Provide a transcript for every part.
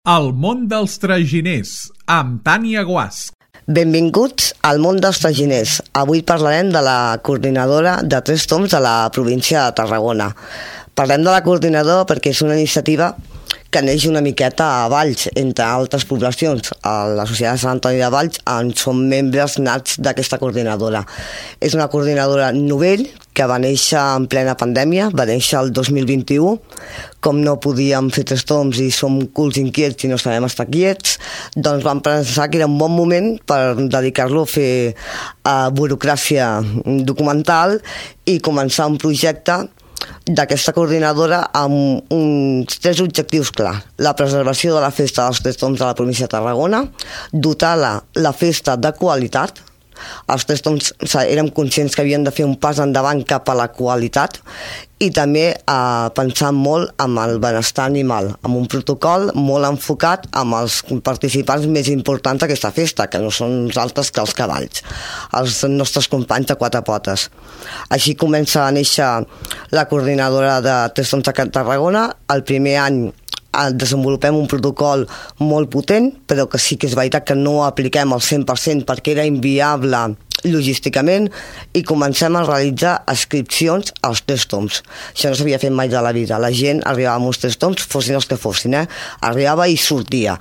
El món dels traginers, amb Tània Guasch. Benvinguts al món dels traginers. Avui parlarem de la coordinadora de 3 toms de la província de Tarragona. Parlem de la coordinadora perquè és una iniciativa que neix una miqueta a Valls, entre altres poblacions. A la Societat de Sant Antoni de Valls en són membres nats d'aquesta coordinadora. És una coordinadora novell que va néixer en plena pandèmia, va néixer el 2021. Com no podíem fer 3 toms i som culs inquiets i no sabem estar quiets, doncs vam pensar que era un bon moment per dedicar-lo a fer burocràcia documental i començar un projecte d'aquesta coordinadora amb uns 3 objectius clars. La preservació de la festa dels 3 toms de la província de Tarragona, dotar la festa de qualitat. Els 3 toms érem conscients que havien de fer un pas endavant cap a la qualitat i també pensar molt en el benestar animal, amb un protocol molt enfocat amb els participants més importants d'aquesta festa, que no són uns altres que els cavalls, els nostres companys de 4 potes. Així comença a néixer la coordinadora de 3 toms de Tarragona. El primer any desenvolupem un protocol molt potent, però que sí que és veritat que no ho apliquem al 100% perquè era inviable logísticament, i comencem a realitzar inscripcions als 3 toms. Això no s'havia fet mai de la vida. La gent arribava amb uns 3 toms, fossin els que fossin, arribava i sortia.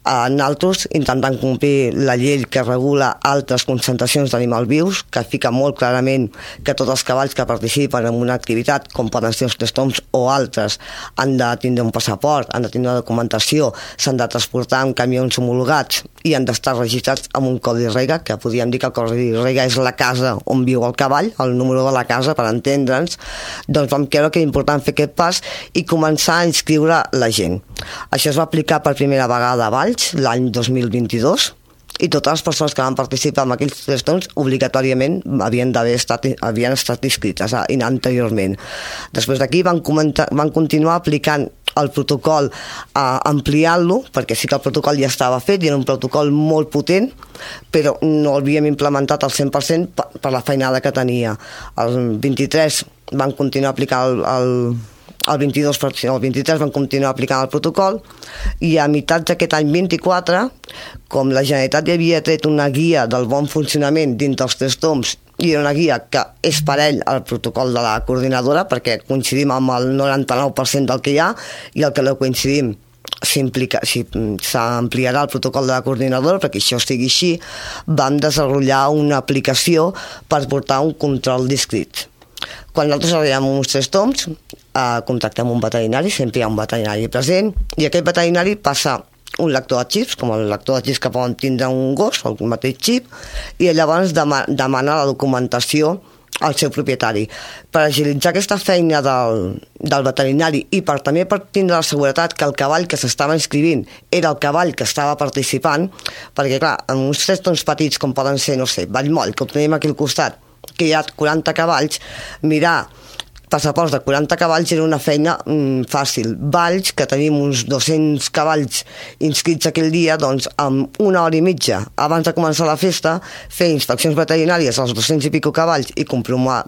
Nosaltres intentant complir la llei que regula altres concentracions d'animals vius, que fica molt clarament que tots els cavalls que participen en una activitat, com poden ser els 3 toms o altres, han de tindre un passaport, han de tindre una documentació, s'han de transportar en camions homologats i han d'estar registrats amb un codi REGA, que podríem dir que el codi REGA és la casa on viu el cavall, el número de la casa, per entendre'ns. Doncs vam creure que era important fer aquest pas i començar a inscriure la gent. Això es va aplicar per primera vegada a Valls l'any 2022, i totes les persones que van participar en aquells 3 toms obligatòriament havien estat inscrites anteriorment. Després d'aquí van continuar aplicant el protocol, ampliant-lo, perquè sí que el protocol ja estava fet i era un protocol molt potent, però no l'havíem implementat al 100% per la feinada que tenia. El 23 van continuar aplicant el 23 van continuar aplicant el protocol, i a meitat d'aquest any 24, com la Generalitat ja havia tret una guia del bon funcionament dintre els 3 toms, i era una guia que és parell al protocol de la coordinadora, perquè coincidim amb el 99% del que hi ha, i el que no coincidim s'ampliarà el protocol de la coordinadora perquè això sigui així. Vam desenvolupar una aplicació per portar un control d'inscrits. Quan nosaltres arribem a uns 3 toms, contactem un veterinari, sempre hi ha un veterinari present, i aquest veterinari passa un lector de xips, com el lector de xips que poden tindre un gos, el mateix xip, i llavors demana la documentació al seu propietari. Per agilitzar aquesta feina del veterinari i també per tindre la seguretat que el cavall que s'estava inscrivint era el cavall que estava participant, perquè clar, en uns 3 toms petits com poden ser, no sé, Vallmoll, que ho tenim aquí al costat, que hi ha 40 cavalls, mirar passaports de 40 cavalls era una feina fàcil. Valls, que tenim uns 200 cavalls inscrits aquell dia, doncs amb 1 hora i mitja abans de començar la festa, fer inspeccions veterinàries als 200 i pico cavalls i comprovar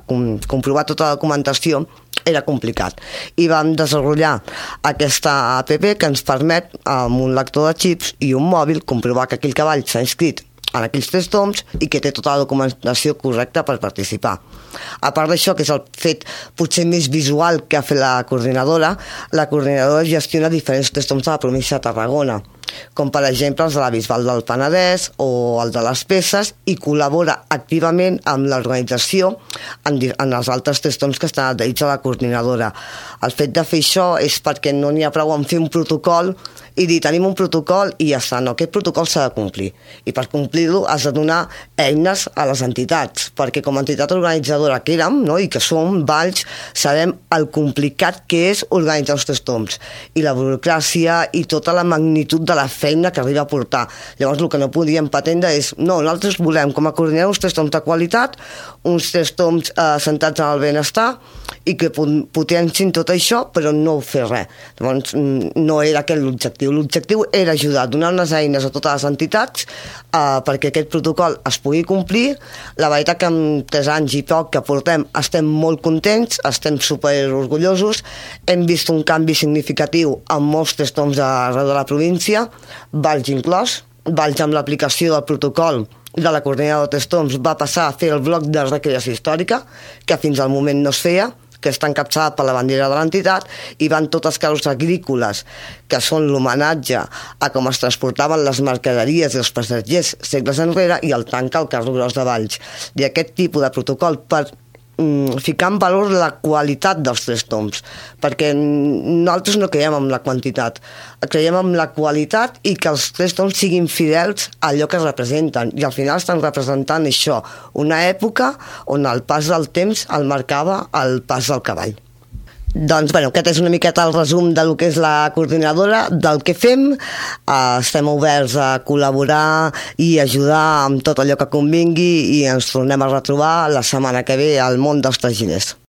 tota la documentació era complicat. I vam desenvolupar aquesta app que ens permet, amb un lector de xips i un mòbil, comprovar que aquell cavall s'ha inscrit en aquells 3 toms i que té tota la documentació correcta per participar. A part d'això, que és el fet potser més visual que ha fet la coordinadora gestiona diferents 3 toms de la província de Tarragona, com per exemple els de la Bisbal del Penedès o el de les Peces, i col·labora activament amb l'organització en els altres 3 toms que estan adherits a la coordinadora. El fet de fer això és perquè no n'hi ha prou en fer un protocol i dir, tenim un protocol i ja està. No, aquest protocol s'ha de complir, i per complir-lo has de donar eines a les entitats, perquè com a entitat organitzadora que érem, no, i que som, Valls, sabem el complicat que és organitzar els 3 toms i la burocràcia i tota la magnitud de la feina que arriba a portar. Llavors el que no podíem pretendre és, no, nosaltres volem com a coordinar uns 3 toms de qualitat, uns 3 toms centrats en el benestar i que potencin tot això, però no fer res. Llavors no era aquest l'objectiu. l'objectiu. L'objectiu era ajudar, donar unes eines a totes les entitats perquè aquest protocol es pugui complir. La veritat que en 3 anys i poc que portem estem molt contents, estem super orgullosos, hem vist un canvi significatiu en molts testoms arreu de la província, Valls inclòs. Valls, amb l'aplicació del protocol de la coordinadora de testoms, va passar a fer el bloc de recreació històrica, que fins al moment no es feia, que està encapçalat per la bandera de l'entitat, i van totes les carros agrícoles, que són l'homenatge a com es transportaven les mercaderies i els passatgers segles enrere, i el tanca el carro gros de Valls. I aquest tipus de protocol per ficar en valor la qualitat dels testoms, perquè nosaltres no creiem en la quantitat, creiem en la qualitat i que els testoms siguin fidels a allò que representen, i al final estan representant això, una època on el pas del temps el marcava el pas del cavall. Doncs, aquest és una miqueta el resum del que és la coordinadora, del que fem. Estem oberts a col·laborar i ajudar amb tot allò que convingui, i ens tornem a retrobar la setmana que ve al món dels traginers.